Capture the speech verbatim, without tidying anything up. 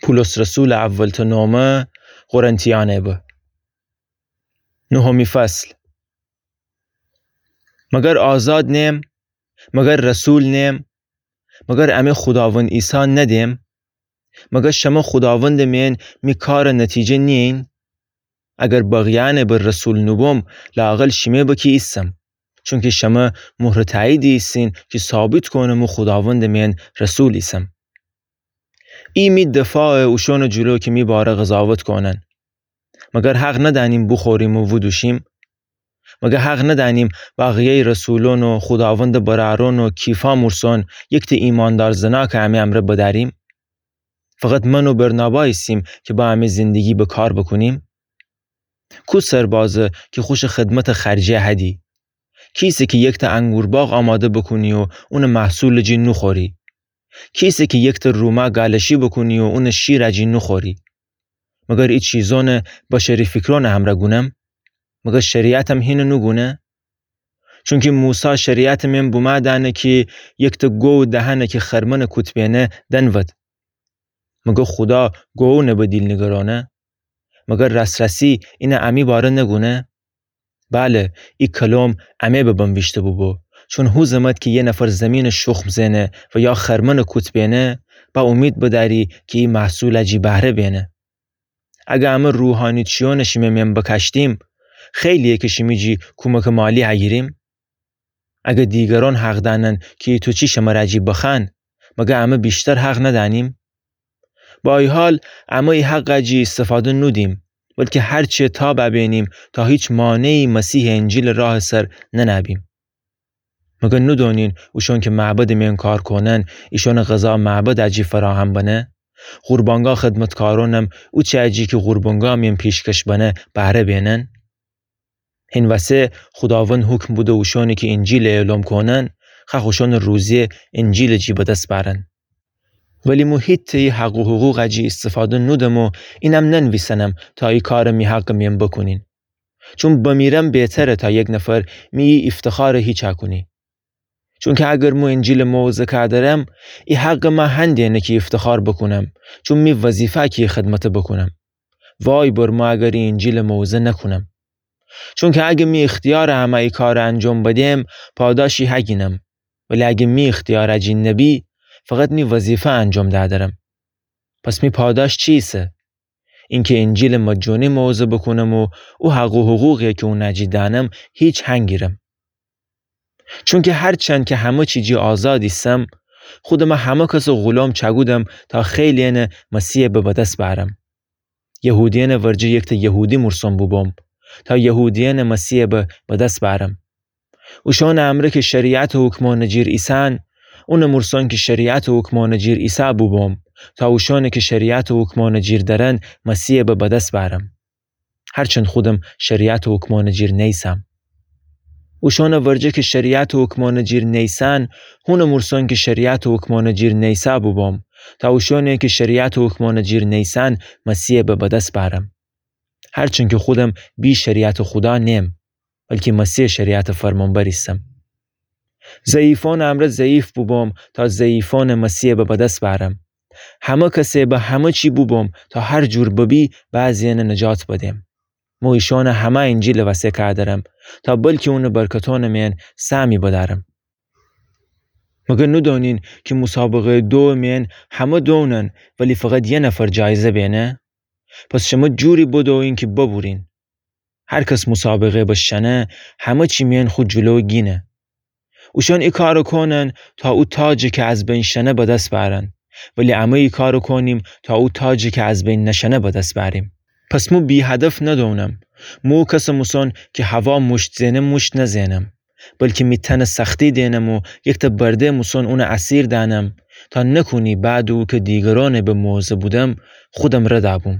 پولس رسولٚ اولتأ نومه قرنتیأنه به. نهمی فصل. مگر آزاد نیم؟ مگر رسول نیم؟ مگر امه خوداوند عیسی ندیم؟ مگر شمه خوداوندٚ مئن می کارٚ نتیجه نیین؟ اگر بقیه‌یأنه به رسول نوبوم، لااقل شیمه به کی ایسم. چونکی شمه مهرٚ تأییدی ایسین کی ثابت کونه مو خوداوندٚ مئن رسول ایسم. ای می دفاعه اوشونٚ جلو کی می باره قضاوت کونن. مگر حق ندأنیم بوخوریم و ودوشیم؟ مگر حق ندأنیم بقیه‌یٚ رسولون و خوداوندٚ برأرون و کیفا مورسون یکته ایماندار زناکٚ امه امرأ بدأریم؟ فقط من و برنابا ایسیم کی با امه زندگی به کار بکونیم؟ کو سربازه کی خوشٚ خدمتٚ خرجه هدی؟ کیسه کی یکته انگورباغ آماده بکونی و اونٚ محصولٚ جی نوخوری؟ کیسه کی یکته روما گالشی بکونی و اونٚ شیرٚ جی نوخوری؟ مگر ای چیزونه بشری فیکرونٚ امرأ گونم؟ مگر شریعتم هینه نوگونه؟ چونکی موسی شریعتٚ مئن بومأ دأنه کی یکته گو دهنه کی خرمنٚ کوت بینه دنود. مگر خودا گوونه به دیل نیگرونه؟ مگر راس‌راسی اینه امی باره نگونه؟ بله، ای کلوم امه به بنویشته بوبو، چون هو زمت کی یه نفر زیمینٚ شخم زئنه و یا خرمنٚ کوت بینه، با اومید بدأری کی ای محصولٚ جی بهره بینه. اگر امه روحانی چیونٚ شیمه مئن بکاشتیم، خیلیه کی شیمی جی کومکٚ مالی هگیریم؟ اگر دیگرون حق دأنن کی ایتو چی شمر جی بخوأن، مگر امه ویشتر حق ندأنیم؟ با ای حال، امه ای حقٚ جی ایستفاده نودیم، بلکی هرچی تاب بینیم تا هیچ مانعی مسیحٚ انجیلٚ راهٚ سر ننه‌بیم. مگر نودونین اوشون کی معبدٚ مئن کار کونن، ایشونٚ غذا معبدٚ جی فراهم بنه؟ قربانگاه خدمتکارونم اوچه جی کی قربانگاه مئن پیشکش بنه بهره بینن؟ هین وسه خوداوند حکم بوده اوشونی کی انجیل اعلام کونن، خوأخ اوشونٚ روزی انجیلٚ جی به دس بأرن. ولی مو هیتأ ای حق و حقوقٚ جی ایستفاده نودم و اینم ننویسنم تا ای کار می حقٚ مئن بکونین. چون بمیرم بهتره تا یک نفر می ای افتخارٚ هیچا کونی. چونکی اگر مو انجیلٚ موعظه کادرم، ای حقٚ مأ هندینه کی افتخار بکونم، چون می وظیفه کی خدمته بکونم. وای بر مو اگر ای انجیلٚ موعظه نکونم. چونکی اگه می اختیارٚ امه ای کارٚ انجام بدم، پاداشی هگینم. ولی اگه می اختیارٚ جی نبی، فقط می وظیفه انجام دأدرم. پس می پاداش چیسه؟ اینکی انجیلٚ مجانی موعظه بکونم و او حق و حقوقی کی اونٚ جی دأنم، هیچ هنگیرم. چونکی هرچند کی همه چی جی آزاد ایسم، خودمه همه کسٚ غلام چأکودم تا خیلی‌یأنه مسیحٚ به بدس بأرم. یهودیأنٚ ورجه یکته یهودی مورسون بوبوم، تا یهودیأنٚ مسیحٚ به بدس بأرم. اوشانٚ امرأ کی شریعتٚ حکمأنٚ جیر ایسن، اونٚ مورسون کی شریعتٚ حکمأنٚ جیر ایسه بوبوم، تا اوشانی کی شریعتٚ حکمأنٚ جیر درن مسیحٚ به بدس بأرم. هرچند خودم شریعتٚ حکمأنٚ جیر نیسم. اوشانٚ ورجه کی شریعتٚ حکمأنٚ جیر نیسن، هونٚ مورسون کی شریعتٚ حکمأنٚ جیر نیسه بوبوم، تا اوشانی کی شریعتٚ حکمأنٚ جیر نیسن مسیحٚ به بدس بأرم. هرچند کی خودم بی شریعتٚ خودا نیم، بلکی مسیحٚ شریعتٚ فرمانبر ایسم. ضعیفأنٚ امرأ ضعیف بوبوم تا ضعیفأنٚ مسیحٚ به بدس بأرم. همه کسٚ به همه چی بوبوم تا هر جور ببی بعضی‌یأنٚ نجات بدم. مو ایشانٚ همه انجیلٚ وسه کادرم تا بلکی اونٚ برکتأنٚ مئن سهمی بدأرم. مگر نودونین کی مسابقه‌یٚ دووٚ مئن همه دونن ولی فقط یه نفر جایزه بینه؟ پس شمه جوری بدویین کی ببورین. هر کس مسابقه بشکنه، همه چی مئن خو جلو گینه. اوشان ای کارٚ کونن تا او تاجٚ کی از بین شنه بدس بأرن، ولی امه ای کارٚ کونیم تا او تاجٚ کی از بین نشنه بدس بأریم. پس مو بی‌هدف ندونم. مو کسٚ موسون کی هوا موشت زئنه موشت نزئنم، بلکی می تنٚ سختی دئنم و یکته برده موسون اونٚ اسیر دأنم، تا نکونی بعدٚ او کی دیگرأنٚ به موعظه بودم، خودم رد بوم.